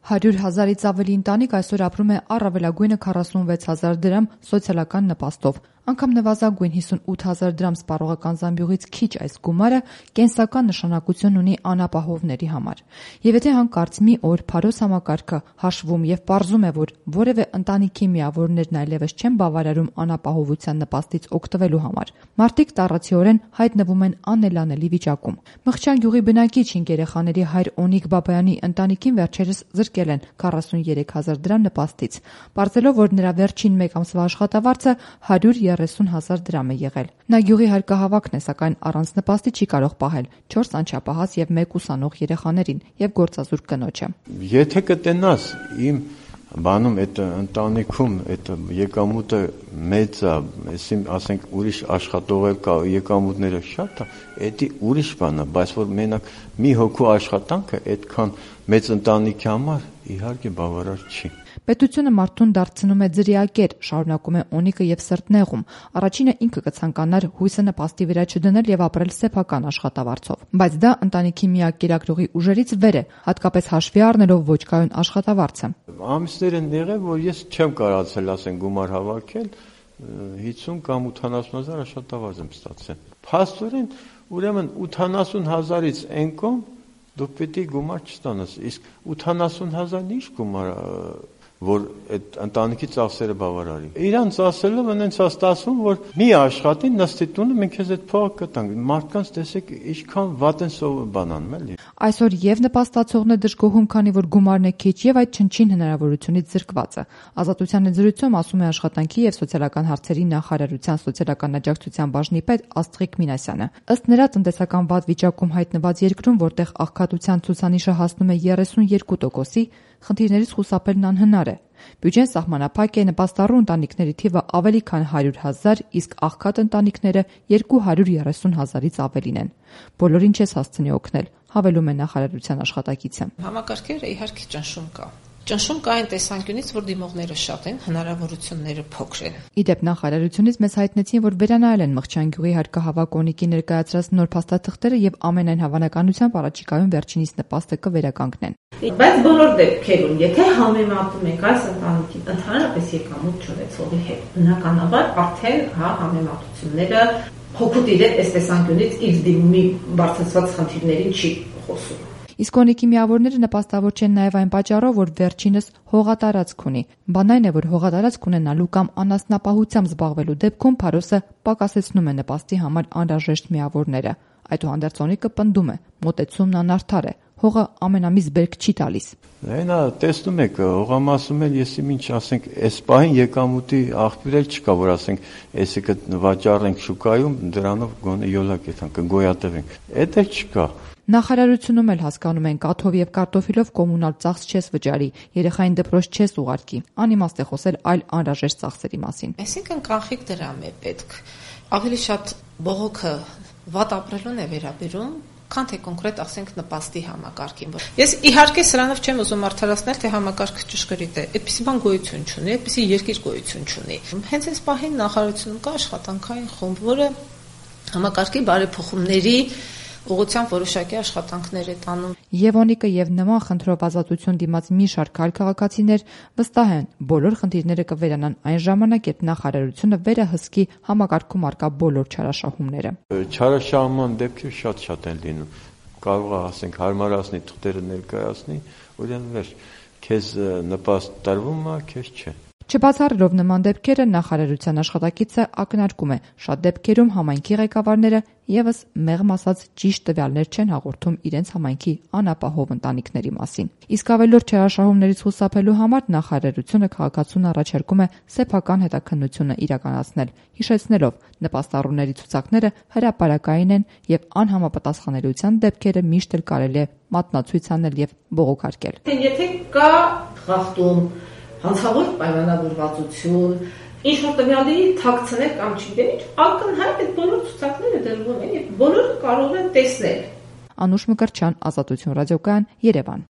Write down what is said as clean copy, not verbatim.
100,000-ից ավելի ընտանիք այսօր ապրում է առավելագույնը 46,000 դրամ սոցիալական նպաստով։ Անգամ նվազագույն 58,000 դրամ սպառողական զամբյուղից քիչ այս գումարը կենսական նշանակություն ունի անապահովների համար։ Եվ եթե հանկարծ մի օր Փարոս համակարգը հաշվում եւ պարզում է, որ որևէ ընտանիքի միավորներն այլևս չեն բավարարում անապահովության նպաստից օգտվելու համար, մարդիկ տառացիորեն հայտնվում են անելանելի վիճակում։ Մղջան գյուղի բնակիչ 5 երեխաների հայր Օնիկ Բաբայանի ընտանիքին վերջերս զրկել են 43,000 դրամ նպաստից, պարզելով, որ նրա վերջին մեկ ամսվա աշխատավարձը 130,000 դրամ է եղել։ Նա գյուղի հարկահավաքն է, սակայն առանց նպաստի չի կարող պահել 4 անչափահաս եւ 1 ուսանող երեխաներին եւ գործազուրկ կնոջը։ Եթե կտենաս իմ բանում այդ ընտանիքում այդ եկամուտը մեծ է, ասենք ուրիշ աշխատող կա, եկամուտները շատ է, դա ուրիշ բան է, բայց որ մենակ մի հոգու աշխատանքը այդքան մեծ ընտանիքի համար իհարկե բավարար չի։ Պետությունը մարդուն դարձնում է ձրիակեր, շարունակում է Օնիկը եւ սրտնեղում։ Առաջինը ինքը կցանկանար հույսը նպաստի վրա չդնել եւ ապրել սեփական աշխատավարձով, բայց դա ընտանիքի միակ կերակրողի ուժերից վեր է, հատկապես հաշվի առնելով ոչ կայուն աշխատավարձը։ Ամիսներ են եղել, որ ես չեմ կարողացել, ասենք, գումար հավաքել, 50 կամ 80,000 աշխատավարձ եմ ստացել։ Փաստորեն, ուրեմն 80,000-ից այն կողմ դու պետք է գումար չստանաս, իսկ 80,000-ն ինչ գումար որ այդ ընտանիքի ծախսերը բավարարի։ Իրանց ասելով այնց է ստացվում, որ մի աշխատի նստի տունը մենք քեզ այդ փողը կտանք։ Մարդկանց տեսեք ինչքան վատ են բան անում, էլի։ Այսօր եւ նպաստացողն է դժգոհում, քանի որ գումարն է քիչ եւ այդ չնչին հնարավորությունից զրկված է։ Ազատության ընձեռությունում ասում է աշխատանքի եւ սոցիալական հարցերի նախարարության սոցիալական աջակցության բաժնի պետ Աստղիկ Մինասյանը։ Ըստ նրա, տնտեսական վատ վիճակում հայտնված երկրում, որտեղ աղքատության ցուցանիշը հասնում է 32%-ի, խնդիրներից խուսափելն անհնար է։ Բյուջեն սահմանափակ է, նպաստառու ընտանիքների թիվը ավելի քան 100,000, իսկ աղքատ ընտանիքները 230,000-ից ավելին են։ Բոլորին չես հասցնի օգնել, հավելում է նախարարության աշխատակիցը։ Համակարգերը իհարկե ճնշում կա։ Ճնշում կա այն տեսանկյունից, որ դիմողները շատ են, հնարավորությունները փոքր են։ Իդեպ նախարարությունից մեզ հայտնեցին, որ վերանայել են Մղջան գյուղի հարկահավաք Օնիկի ներկայացրած նոր փաստաթղթերը եւ ամենայն հավանականությամբ առաջիկայում վերջինիս նպաստը կվերականգնեն։ Բայց բոլոր դեպքերում, եթե համեմատում ենք այս ընտանիքի ընդհանրապես եկամուտ չունեցողի հետ, բնականաբար արդեն համեմատությունները հոգուտ իրեն այս տեսանկյունից իր դիմումի բարձրացված խնդիրներին չի խոսում։ Իսկ Օնիկի միավորները նպաստավոր չեն նաև այն պատճառով, որ վերջինս հողատարածք ունի։ Բան այն է, որ հողատարածք ունենալու կամ անասնապահությամբ զբաղվելու դեպքում Փարոսը պակասեցնում է նպաստի համար անհրաժեշտ միավորները։ Այդուհանդերձ Օնիկը պնդում է, մոտեցումն անարդար է, հողը ամենամիս բերք չի տալիս։ Այնա տեսնում եք, հողամասում էլ եսի ինչ ասենք, այս պահին եկամուտի աղբյուր էլ չկա, որ ասենք, այսի վաճառենք շուկայում, դրանով գոնե յոլա կգոյատևենք։ Այդ էլ չկա։ Նախարարությունում էլ հասկանում են, կաթով եւ կարտոֆիլով կոմունալ ծախս չես վճարի, երեխային դպրոց չես ուղարկի։ Անիմաստ է խոսել այլ անհրաժեշտ ծախսերի մասին։ Այսինքն կանխիկ դրամ է պետք։ Ավելի շատ բողոքը վատ ապրելուն է վերաբերում, քան թե կոնկրետ ասենք նպաստի համակարգին։ Ես իհարկե սրանով չեմ ուզում արդարացնել, թե համակարգը ճշգրիտ է։ Այդպիսի բան գոյություն չունի, այդպիսի երկիր գոյություն չունի։ Հենց այս պահին նախարարությունում կա աշխատանքային խումբ, որը համակարգի բարեփոխումների ուղղությամբ որոշակի աշխատանքներ է տանում։ Եվ Օնիկը եւ նման խնդրով ազատություն դիմաց մի շարք այլ քաղաքացիներ վստահ են, բոլոր խնդիրները կվերանան այն ժամանակ, երբ նախարարությունը վերահսկի համակարգում արկա բոլոր չարաշահումները։ Չարաշահման դեպքեր շատ են լինում։ Կարող է ասենք հարմարացնի թղթերը ներկայացնի, ուրեմն վերջ քեզ նպաստ տրվում է, քեզ չէ։ Չբացառելով նման դեպքերը, նախարարության աշխատակիցը ակնարկում է, շատ դեպքերում համայնքի ղեկավարները եւս մեղմ ասած ճիշտ տվյալներ չեն հաղորդում իրենց համայնքի անապահով ընտանիքների մասին։ Իսկ ավելորդ չարաշահումներից խուսափելու համար նախարարությունը քաղաքացուն առաջարկում է սեփական հետաքննությունը իրականացնել, հիշեցնելով նպաստառուների ցուցակները հրապարակային են եւ անհամապատասխանելիության դեպքերը միշտ էլ կարելի է մատնացույց անել եւ բողոքարկել։ Եթե կա խախտում, հանցավոր պայմանավորվածություն, ինչ-որ տվյալների թաքցնել կամ չգիտեմ ինչ, ակնհայտ այդ բոլոր ցուցակները դրվում են եւ բոլորը կարող են տեսնել։ Անուշ Մկրտչյան, Ազատություն ռադիոկայան, Երևան։